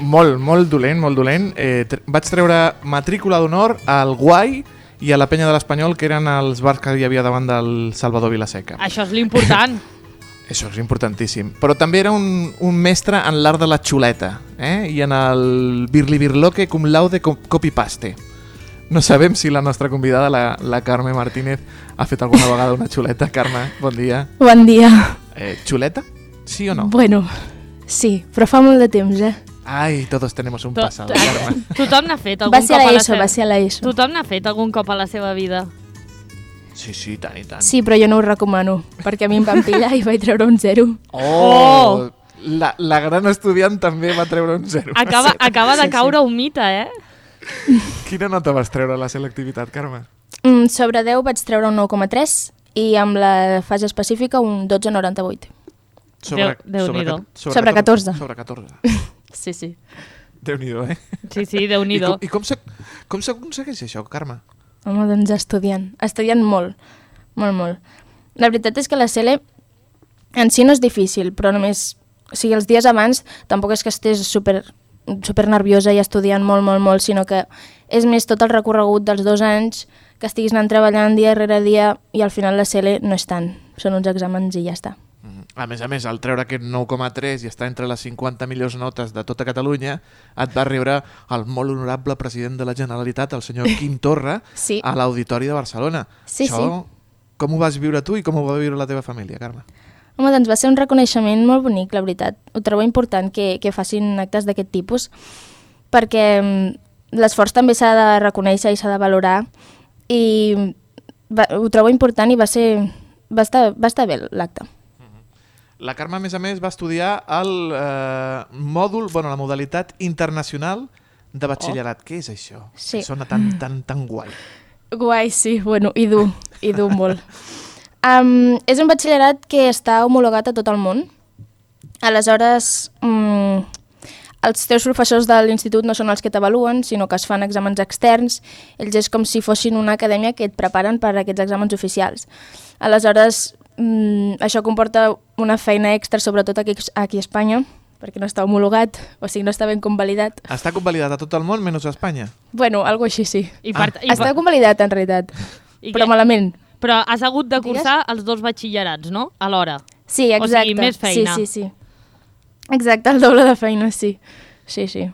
molt, molt dolent, molt dolent. Eh, tre- vaig treure matrícula d'honor al Guai i a la Penya de l'Espanyol, que eren els bars que hi havia davant del Salvador Vilaseca. Això és l'important. Això és importantíssim. Però també era un, un mestre en l'art de la xuleta, eh? I en el birli-birloque cum laude copy-paste. No sabem si la nostra convidada, la, la Carme Martínez, ha fet alguna vegada una xuleta. Carme, bon dia. Bon dia. Eh, ¿Xuleta? ¿Sí o no? Bueno, sí, però fa molt de temps, eh? Ai, todos tenemos un to pasado, Carme. Tothom n'ha fet algun va ser cop a la ESO, seva... va ser a l'ESO. Tothom n'ha fet algun cop a la seva vida. Sí, sí, tant i tant. Sí, però jo no ho recomano, perquè a mi em van pillar i vaig treure un zero. Oh! La, la gran estudiant també va treure un zero. Acaba, acaba de caure un mite, eh? Quina nota vas treure a la selectivitat, Carme? Mm, sobre deu vaig treure un nou coma tres i amb la fase específica un dotze coma noranta-vuit. Sobre, Déu- sobre, Déu-n'hi-do. sobre, Sobre catorze. Sobre catorze. Sí, sí. Déu-n'hi-do, eh? Sí, sí, I, Déu-n'hi-do. com, i com, s'ac- com s'aconsegueix això, Carme? Home, doncs estudiant. Estudiant molt. Molt, molt. La veritat és que la C L en si no és difícil, però només... O sigui, els dies abans tampoc és que estés super, super nerviosa i estudiant molt, molt, molt, sinó que és més tot el recorregut dels dos anys que estiguis anant treballant dia rere dia i al final la C L no és tant. Són uns exàmens i ja està. A més a més, al treure aquest nou coma tres i estar entre les cinquanta millors notes de tota Catalunya, et va rebre el molt honorable president de la Generalitat, el senyor Quim Torra, Sí. a l'Auditori de Barcelona. Sí, Això, sí. com ho vas viure tu i com ho va viure la teva família, Carme? Home, doncs va ser un reconeixement molt bonic, la veritat. Ho trobo important que, que facin actes d'aquest tipus, perquè mm, l'esforç també s'ha de reconèixer i s'ha de valorar, i va, ho trobo important i va ser... va estar, va estar bé l'acte. La Carme, a més a més, va estudiar el eh, mòdul, bueno, la modalitat internacional de batxillerat. Oh. Què és això? Sí. Sona tan, tan, tan guai. Guai, sí, bueno, i dur, i dur molt. Um, és un batxillerat que està homologat a tot el món. Aleshores, um, els teus professors de l'institut no són els que t'avaluen, sinó que es fan exàmens externs. Ells és com si fossin una acadèmia que et preparen per a aquests exàmens oficials. Aleshores, um, això comporta una feina extra, sobretot aquí, aquí a Espanya, perquè no està homologat, o sigui, no està ben convalidat. Està convalidat a tot el món, menys a Espanya? Bueno, algo així sí. I per, Ah. i per, Està convalidat, en realitat, i però què? malament. Però has hagut de Digues? cursar els dos batxillerats, no? Alhora. Sí, O exacte. sigui, més feina. Sí, sí, sí. Exacte, el doble de feina, sí. Sí, sí.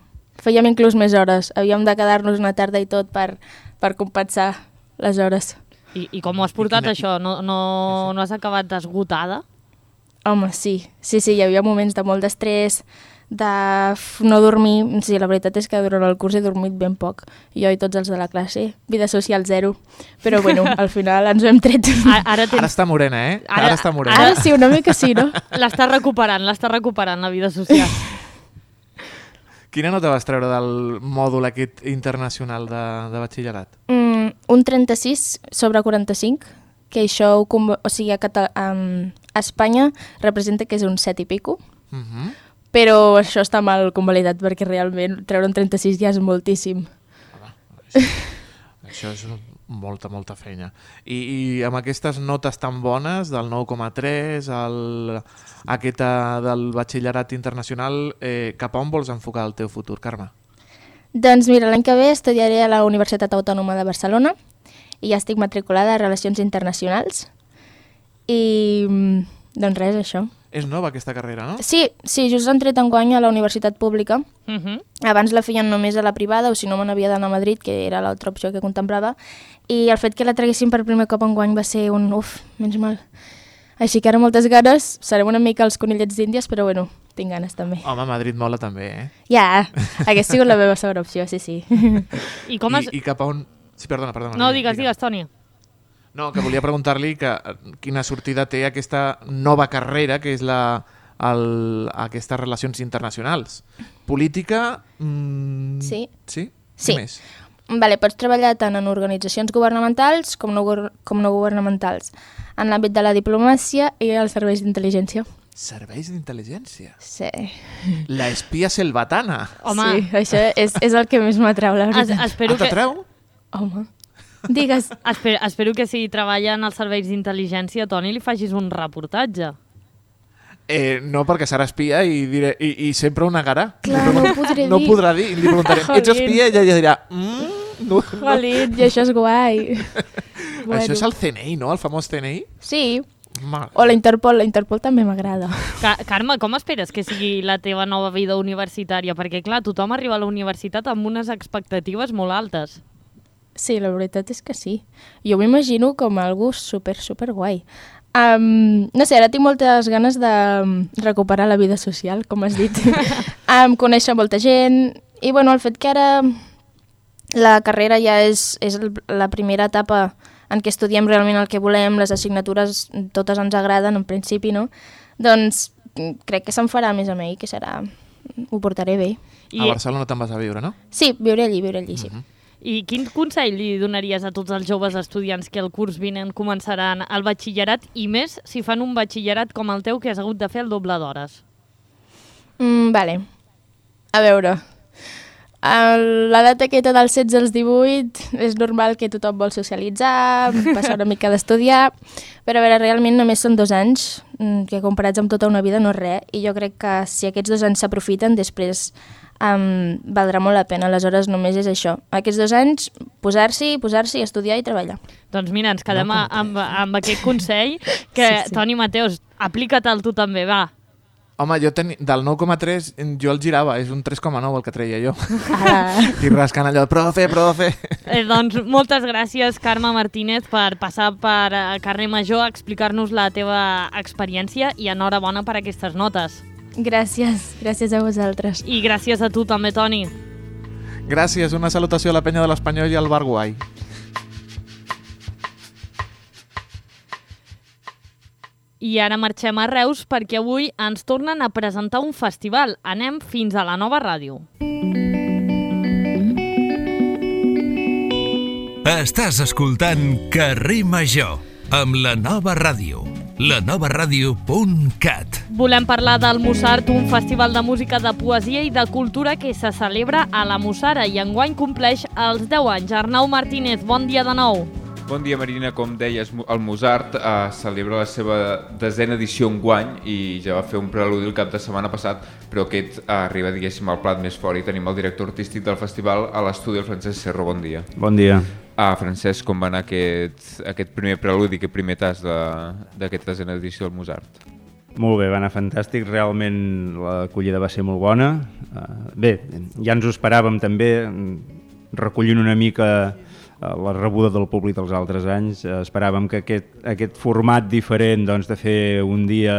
Fèiem inclús més hores. Havíem de quedar-nos una tarda i tot per, per compensar les hores. I, I com ho has portat, quina- això? No, no, no has acabat esgotada? Home, sí. Sí, sí, hi havia moments de molt d'estrès, de f- no dormir. Sí, la veritat és que durant el curs he dormit ben poc. Jo i tots els de la classe. Vida social zero. Però bueno, al final ens ho hem tret. Ara, ara, Ara tens... està morena, eh? Ara, Ara- està morena. Ara sí, una mica sí, no? L'està recuperant, l'està recuperant, la vida social. Quina nota vas treure del mòdul aquest internacional de, de batxillerat? Mm, un trenta-sis sobre quaranta-cinc, que això, ho conv- o sigui, a, Cata um, a Espanya representa que és un set i pico, Uh -huh. però això està mal convalidat perquè realment treure un trenta-sis ja és moltíssim. Això és molta, molta feina. I, i amb aquestes notes tan bones, del nou coma tres, el, aquesta del batxillerat internacional, eh, cap a on vols enfocar el teu futur, Carme? Doncs mira, l'any que ve estudiaré a la Universitat Autònoma de Barcelona i ja estic matriculada a Relacions Internacionals i mm, doncs res, això. És nova aquesta carrera, no? Sí, sí, just han tret enguany a la Universitat Pública. Uh -huh. Abans la feien només a la privada o si no me n'havia d'anar a Madrid, que era l'altra opció que contemplava, i el fet que la traguessin per primer cop enguany va ser un uf, menys mal. Així que ara moltes ganes, serem una mica els conillets d'Índies, però bueno, tinc ganes també. Home, Madrid mola també, eh? Ja, hagués sigut la meva segona opció, sí, sí. I com has... I, I cap a on... Sí, perdona, perdona. No, digues, digues, Toni. No, que volia preguntar-li que eh, quina sortida té aquesta nova carrera, que és la, el, aquestes relacions internacionals. Política... Mm, Sí. Sí? Sí. Què més? Vale, pots treballar tant en organitzacions governamentals com no, gor- com no governamentals, en l'àmbit de la diplomàcia i els serveis d'intel·ligència. Serveis d'intel·ligència. Sí. La espia selvatana. Home. Sí, això és, és el que més m'atrau, la Es, veritat. espero, Ah, que, t'atreu? Home, digues. espero, espero que si treballa en els serveis d'intel·ligència, Toni, li facis un reportatge. Eh, no, perquè serà espia i, diré, i, i sempre ho negarà. Clar, Li no ho pregun- podré No dir. podrà dir. I li preguntarem, ets Jolín. espia? I ella dirà... Mm, no, no. Jolín, i això és guai. Bueno. Això és el C N I, no? El famós C N I? Sí, Ma... o la Interpol, la Interpol també m'agrada. Ca Carme, com esperes que sigui la teva nova vida universitària? Perquè, clar, tothom arriba a la universitat amb unes expectatives molt altes. Sí, la veritat és que sí. Jo m'imagino com algo super, super guai. Um, no sé, ara tinc moltes ganes de um, recuperar la vida social, com has dit. um, conèixer molta gent i bueno, el fet que ara la carrera ja és, és el, la primera etapa en què estudiem realment el que volem, les assignatures totes ens agraden en principi, no? Doncs crec que se'n farà més amb ell, que serà... Ho portaré bé. I... A Barcelona te'n vas a viure, no? Sí, viure allí, viure allí, sí. Uh-huh. I quin consell li donaries a tots els joves estudiants que el curs vinent començaran el batxillerat i més si fan un batxillerat com el teu que has hagut de fer el doble d'hores? Mm, vale. A veure, l'edat aquesta dels setze als divuit és normal que tothom vol socialitzar, passar una mica d'estudiar, però a veure, realment només són dos anys, que comparats amb tota una vida no és res, i jo crec que si aquests dos anys s'aprofiten, després Um, valdrà molt la pena, aleshores només és això. Aquests dos anys, posar-s'hi, posar-s'hi, estudiar i treballar. Doncs mira, ens quedem no amb, amb aquest consell que, sí, sí. Toni Mateos, aplica-te'l tu també, va. Home, jo ten... del nou coma tres jo el girava, és un tres coma nou el que treia jo. Ah. I rascant allò, profe, profe. Eh, doncs moltes gràcies, Carme Martínez, per passar per Carrer Major a explicar-nos la teva experiència i enhorabona per aquestes notes. Gràcies, gràcies a vosaltres. I gràcies a tu també, Toni. Gràcies, una salutació a la penya de l'Espanyol i al Bar Guai. I ara marxem a Reus perquè avui ens tornen a presentar un festival. Anem fins a la Nova Ràdio. Estàs escoltant Carrer Major amb la Nova Ràdio. la nova ràdio punt cat. Volem parlar del Mussart, un festival de música, de poesia i de cultura que se celebra a la Mussara i enguany compleix els deu anys. Arnau Martínez, bon dia de nou. Bon dia, Marina. Com deies, el Mussart eh, celebra la seva desena edició enguany i ja va fer un preludi el cap de setmana passat, però aquest eh, arriba, diguéssim, al plat més fort i tenim el director artístic del festival a l'estudi, el Francesc Cerro. Bon dia. Bon dia. Ah, Francesc, com va anar aquest, aquest primer preludi, aquest primer tas d'aquesta desena edició del Mussart? Molt bé, va anar fantàstic, realment l'acollida va ser molt bona. Uh, bé, ja ens ho esperàvem també, recollint una mica la rebuda del públic dels altres anys. Esperàvem que aquest, aquest format diferent, doncs, de fer un dia,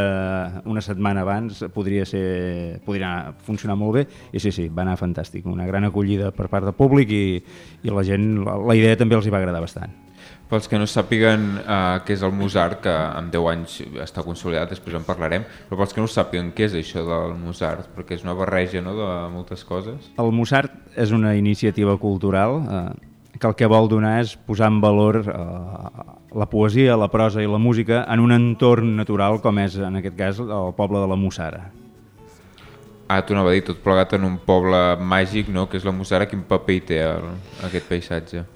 una setmana abans, podria, ser, podria funcionar molt bé, i sí, sí, va anar fantàstic. Una gran acollida per part del públic i, i la gent, la, la idea també els hi va agradar bastant. Pels que no sàpiguen uh, què és el Mussart, que en deu anys està consolidat, després en parlarem, però pels que no sàpiguen què és això del Mussart, perquè és una barreja, no?, de moltes coses. El Mussart és una iniciativa cultural eh, que el que vol donar és posar en valor eh, la poesia, la prosa i la música en un entorn natural com és, en aquest cas, el poble de la Mussara. Ah, t'ho anava a dir, tot plegat en un poble màgic, no?, que és la Mussara. Quin paper hi té el, aquest paisatge?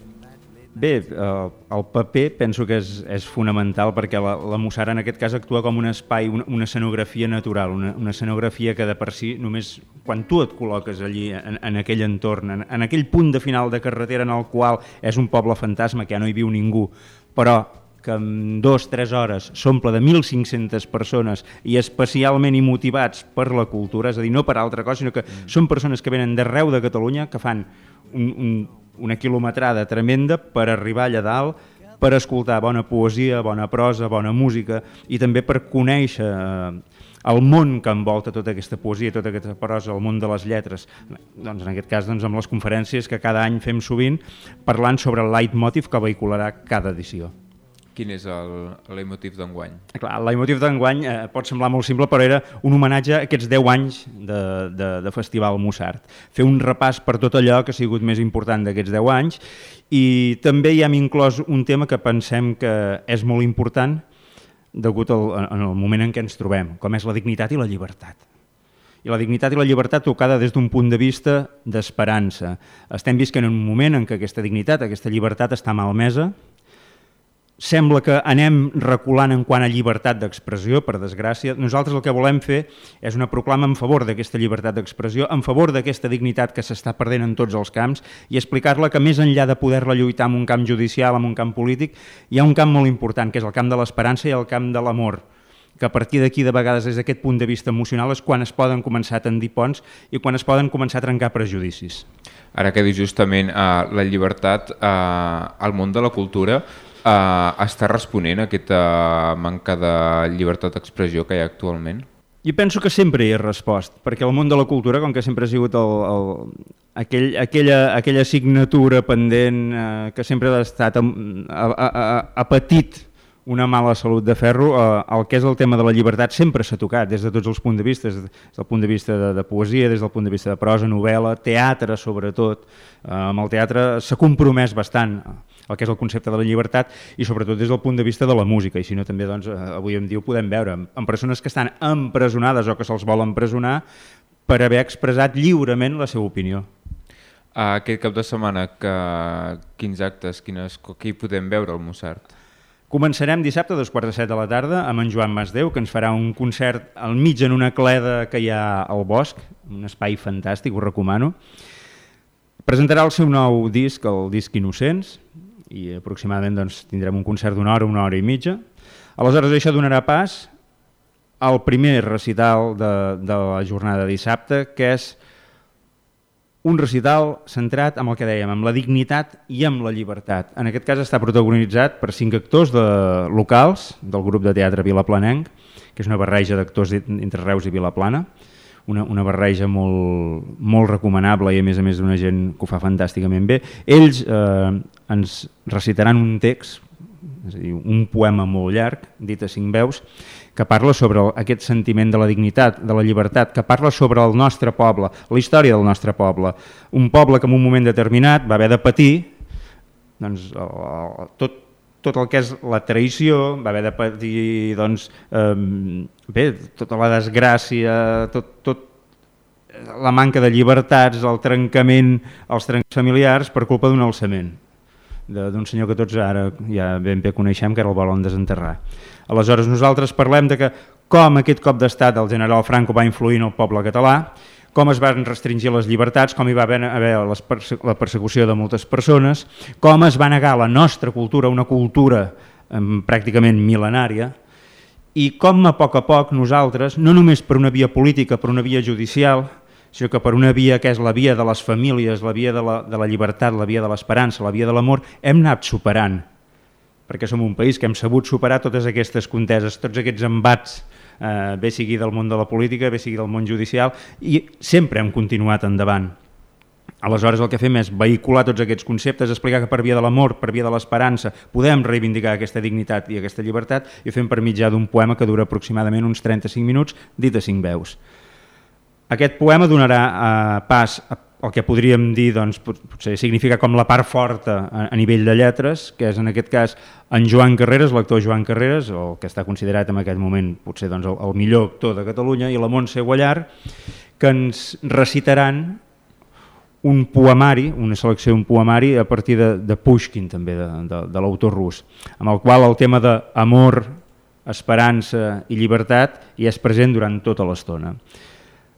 Bé, eh, el paper penso que és, és fonamental perquè la, la Mussara en aquest cas actua com un espai, una, una escenografia natural, una, una escenografia que de per si només quan tu et col·loques allí en, en aquell entorn, en, en aquell punt de final de carretera en el qual és un poble fantasma que ja no hi viu ningú, però que en dues o tres hores s'omple de mil cinc-centes persones i especialment i motivats per la cultura, és a dir, no per altra cosa, sinó que mm. són persones que venen d'arreu de Catalunya, que fan un, un, una quilometrada tremenda per arribar allà dalt, per escoltar bona poesia, bona prosa, bona música i també per conèixer el món que envolta tota aquesta poesia, tota aquesta prosa, el món de les lletres. Doncs en aquest cas, doncs, amb les conferències que cada any fem sovint, parlant sobre el leitmotiv que vehicularà cada edició. Quin és el, el leitmotiv d'enguany? Clar, el leitmotiv d'enguany eh, pot semblar molt simple, però era un homenatge a aquests deu anys de, de, de Festival Mussart. Fer un repàs per tot allò que ha sigut més important d'aquests deu anys i també hi hem inclòs un tema que pensem que és molt important degut al, en el moment en què ens trobem, com és la dignitat i la llibertat. I la dignitat i la llibertat tocada des d'un punt de vista d'esperança. Estem visquent en un moment en què aquesta dignitat, aquesta llibertat està malmesa. Sembla que anem reculant en quant a llibertat d'expressió, per desgràcia. Nosaltres el que volem fer és una proclama en favor d'aquesta llibertat d'expressió, en favor d'aquesta dignitat que s'està perdent en tots els camps i explicar-la que més enllà de poder-la lluitar en un camp judicial, en un camp polític, hi ha un camp molt important, que és el camp de l'esperança i el camp de l'amor, que a partir d'aquí, de vegades, des d'aquest punt de vista emocional, és quan es poden començar a tendir ponts i quan es poden començar a trencar prejudicis. Ara que dius justament uh, la llibertat, uh, al món de la cultura, Uh, està responent a aquesta manca de llibertat d'expressió que hi ha actualment? Jo penso que sempre hi ha respost, perquè el món de la cultura, com que sempre ha sigut el, el, aquell, aquella, aquella assignatura pendent eh, que sempre ha estat a, a, a, a patit una mala salut de ferro. Eh, el que és el tema de la llibertat sempre s'ha tocat des de tots els punts de vista, des del punt de vista de, de poesia, des del punt de vista de prosa, novel·la, teatre sobretot. Eh, amb el teatre s'ha compromès bastant el que és el concepte de la llibertat i sobretot des del punt de vista de la música, i si no també doncs, avui en dia ho podem veure amb persones que estan empresonades o que se'ls vol empresonar per haver expressat lliurement la seva opinió. Aquest cap de setmana, que, quins actes, quines, què hi podem veure al Mozart? Començarem dissabte a dos quarts de set de la tarda amb en Joan Masdeu, que ens farà un concert al mig en una cleda que hi ha al bosc, un espai fantàstic, ho recomano. Presentarà el seu nou disc, el disc Innocents, i aproximadament doncs, tindrem un concert d'una hora, una hora i mitja. Aleshores això donarà pas al primer recital de, de la jornada de dissabte, que és un recital centrat en el que dèiem, amb la dignitat i amb la llibertat. En aquest cas està protagonitzat per cinc actors de, locals del grup de teatre Vilaplanenc, que és una barreja d'actors entre Reus i Vilaplana, una, una barreja molt, molt recomanable i a més a més d'una gent que ho fa fantàsticament bé. Ells eh, ens recitaran un text, és a dir, un poema molt llarg, dit a cinc veus, que parla sobre aquest sentiment de la dignitat, de la llibertat, que parla sobre el nostre poble, la història del nostre poble. Un poble que en un moment determinat va haver de patir doncs, tot, tot el que és la traïció, va haver de patir doncs, eh, bé, tota la desgràcia, tot, tot la manca de llibertats, el trencament, els trencaments familiars per culpa d'un alçament d'un senyor que tots ara ja ben bé coneixem, que era el volen desenterrar. Aleshores nosaltres parlem de que com aquest cop d'estat del general Franco va influir en el poble català, com es van restringir les llibertats, com hi va haver, haver les perse la persecució de moltes persones, com es va negar la nostra cultura, una cultura eh, pràcticament mil·lenària, i com a poc a poc nosaltres, no només per una via política, per una via judicial, sinó que per una via que és la via de les famílies, la via de la, de la llibertat, la via de l'esperança, la via de l'amor, hem anat superant, perquè som un país que hem sabut superar totes aquestes conteses, tots aquests embats, eh, bé sigui del món de la política, bé sigui del món judicial, i sempre hem continuat endavant. Aleshores el que fem és vehicular tots aquests conceptes, explicar que per via de l'amor, per via de l'esperança, podem reivindicar aquesta dignitat i aquesta llibertat, i ho fem per mitjà d'un poema que dura aproximadament uns trenta-cinc minuts, dit a cinc veus. Aquest poema donarà eh, pas al que podríem dir, doncs, potser significa com la part forta a, a nivell de lletres, que és en aquest cas en Joan Carreras, l'actor Joan Carreras, el que està considerat en aquest moment potser doncs, el, el millor actor de Catalunya, i la Montse Guallar, que ens recitaran un poemari, una selecció d'un poemari a partir de, de Pushkin, també, de, de, de l'autor rus, amb el qual el tema d'amor, esperança i llibertat hi és present durant tota l'estona.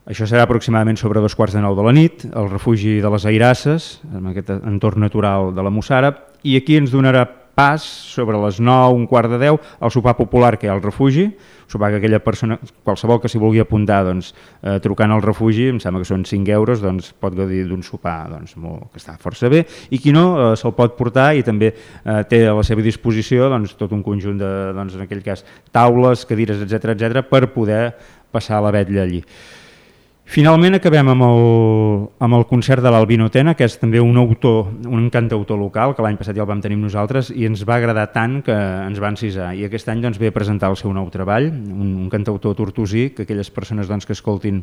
Això serà aproximadament sobre dos quarts de nou de la nit, al refugi de les Airasses, en aquest entorn natural de la Mussara, i aquí ens donarà pas sobre les nou, un quart de deu, al sopar popular que hi ha al refugi, sopar que aquella persona, qualsevol que s'hi vulgui apuntar, doncs, eh, trucant al refugi, em sembla que són cinc euros, doncs pot gaudir d'un sopar doncs, molt, que està força bé, i qui no, eh, se'l pot portar i també eh, té a la seva disposició doncs, tot un conjunt de, doncs, en aquell cas, taules, cadires, etcètera, etcètera, per poder passar la vetlla allí. Finalment acabem amb el, amb el concert de l'Albino Tena, que és també un autor, un cantautor local, que l'any passat ja el vam tenir nosaltres i ens va agradar tant que ens va encisar. I aquest any doncs, ve a presentar el seu nou treball, un, un cantautor tortosí, que aquelles persones doncs, que escoltin,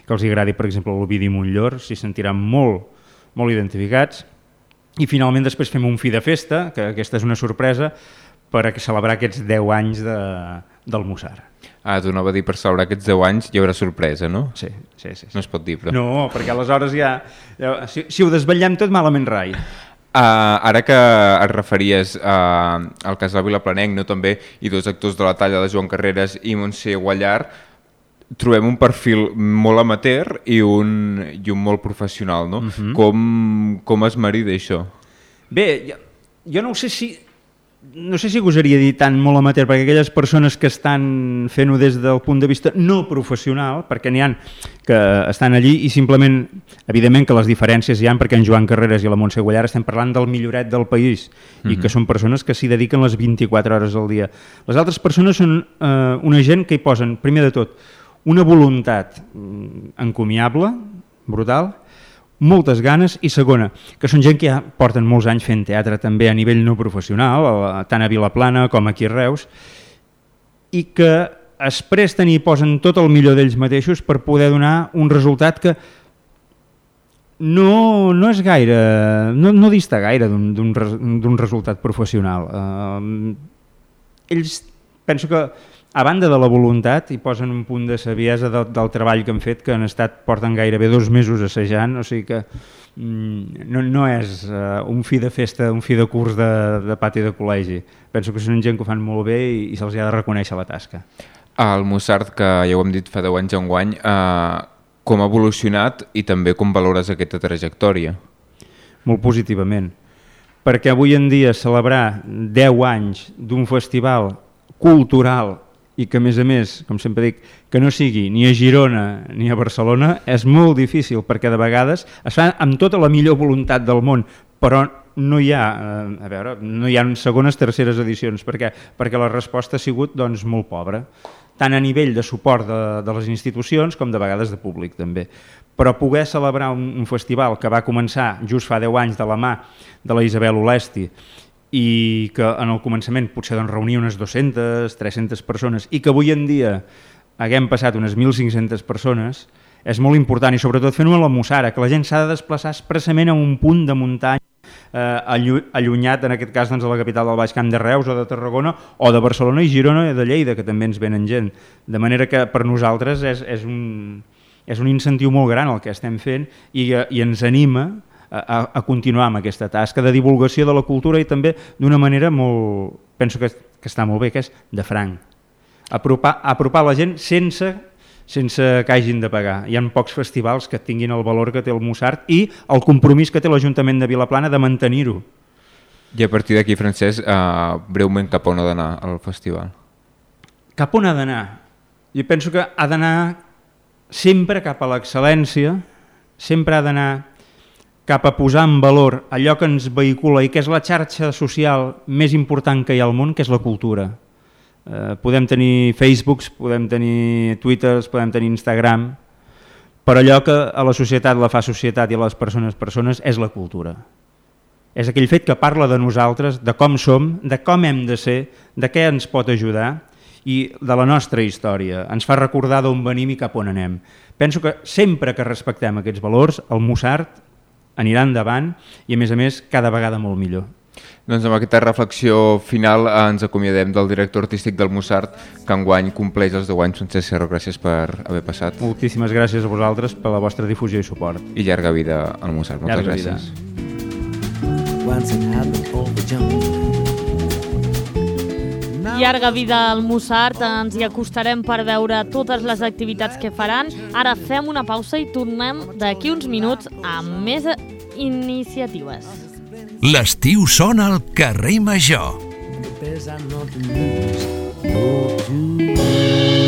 que els agradi, per exemple, l'Ovidi Montllor, s'hi sentiran molt, molt identificats. I finalment després fem un fi de festa, que aquesta és una sorpresa, per a celebrar aquests deu anys de, del Mozart. Ah, tu anava a dir, per celebrar aquests deu anys hi haurà sorpresa, no? Sí, sí, sí. No es pot dir, però... No, perquè aleshores ja... ja si, si ho desvetllem tot, malament rai. Uh, ara que et referies uh, al casal Vilaplanenc, no, també, i dos actors de la talla de Joan Carreras i Montse Guallar, trobem un perfil molt amateur i un, i un molt professional, no? Uh-huh. Com, com es marida això? Bé, jo, jo no sé si... No sé si gosaria dir tant molt amateur, perquè aquelles persones que estan fent-ho des del punt de vista no professional, perquè n'hi ha que estan allí i simplement, evidentment que les diferències hi ha, perquè en Joan Carreras i la Montse Guallar estem parlant del milloret del país i que són persones que s'hi dediquen les vint-i-quatre hores al dia. Les altres persones són eh, una gent que hi posen, primer de tot, una voluntat encomiable, brutal, moltes ganes, i segona, que són gent que ja porten molts anys fent teatre també a nivell no professional, tant a Vilaplana com aquí a Reus, i que es presten i posen tot el millor d'ells mateixos per poder donar un resultat que no, no és gaire, no, no dista gaire d'un resultat professional. Uh, ells, penso que a banda de la voluntat, hi posen un punt de saviesa de, del treball que han fet, que han estat, porten gairebé dos mesos assajant, o sigui que mm, no, no és uh, un fi de festa, un fi de curs de, de pati de col·legi. Penso que són gent que ho fan molt bé i, i se'ls ha de reconèixer la tasca. El Mozart, que ja ho hem dit fa deu anys enguany, eh, com ha evolucionat i també com valores aquesta trajectòria? Molt positivament, perquè avui en dia celebrar deu anys d'un festival cultural i que a més a més, com sempre dic, que no sigui ni a Girona ni a Barcelona, és molt difícil, perquè de vegades es fa amb tota la millor voluntat del món, però no hi ha, a veure, no hi ha segones, terceres edicions, perquè, perquè la resposta ha sigut doncs, molt pobra, tant a nivell de suport de, de les institucions com de vegades de públic també. Però poder celebrar un, un festival que va començar just fa deu anys de la mà de la Isabel Olesti i que en el començament potser doncs, reunia unes dues-centes, tres-centes persones i que avui en dia haguem passat unes mil cinc-centes persones, és molt important, i sobretot fent-ho a la Mussara, que la gent s'ha de desplaçar expressament a un punt de muntanya eh, allunyat, en aquest cas doncs, a la capital del Baix Camp de Reus o de Tarragona o de Barcelona i Girona i de Lleida, que també ens venen gent. De manera que per nosaltres és, és, un, és un incentiu molt gran el que estem fent i, i ens anima a, a continuar amb aquesta tasca de divulgació de la cultura i també d'una manera molt, penso que, que està molt bé, que és de franc. Apropar, apropar la gent sense... sense que hagin de pagar. Hi ha pocs festivals que tinguin el valor que té el Mozart i el compromís que té l'Ajuntament de Vilaplana de mantenir-ho. I a partir d'aquí, Francesc, uh, breument cap on ha d'anar el festival? Cap on ha d'anar? Jo penso que ha d'anar sempre cap a l'excel·lència, sempre ha d'anar cap a posar en valor allò que ens vehicula i que és la xarxa social més important que hi ha al món, que és la cultura. Uh, podem tenir Facebooks, podem tenir Twitters, podem tenir Instagram, però allò que a la societat la fa societat i a les persones persones és la cultura. És aquell fet que parla de nosaltres, de com som, de com hem de ser, de què ens pot ajudar i de la nostra història. Ens fa recordar d'on venim i cap on anem. Penso que sempre que respectem aquests valors, el Mozart anirà endavant i a més a més cada vegada molt millor. Doncs amb aquesta reflexió final ens acomiadem del director artístic del Mozart, que enguany compleix els deu anys. Francesc Serro, gràcies per haver passat. Moltíssimes gràcies a vosaltres per la vostra difusió i suport. I llarga vida al Mozart. Moltes llarga gràcies. Vida. Llarga vida al Mozart, ens hi acostarem per veure totes les activitats que faran. Ara fem una pausa i tornem d'aquí uns minuts amb més iniciatives. L'estiu sona al carrer Major. There's nothing to lose, no to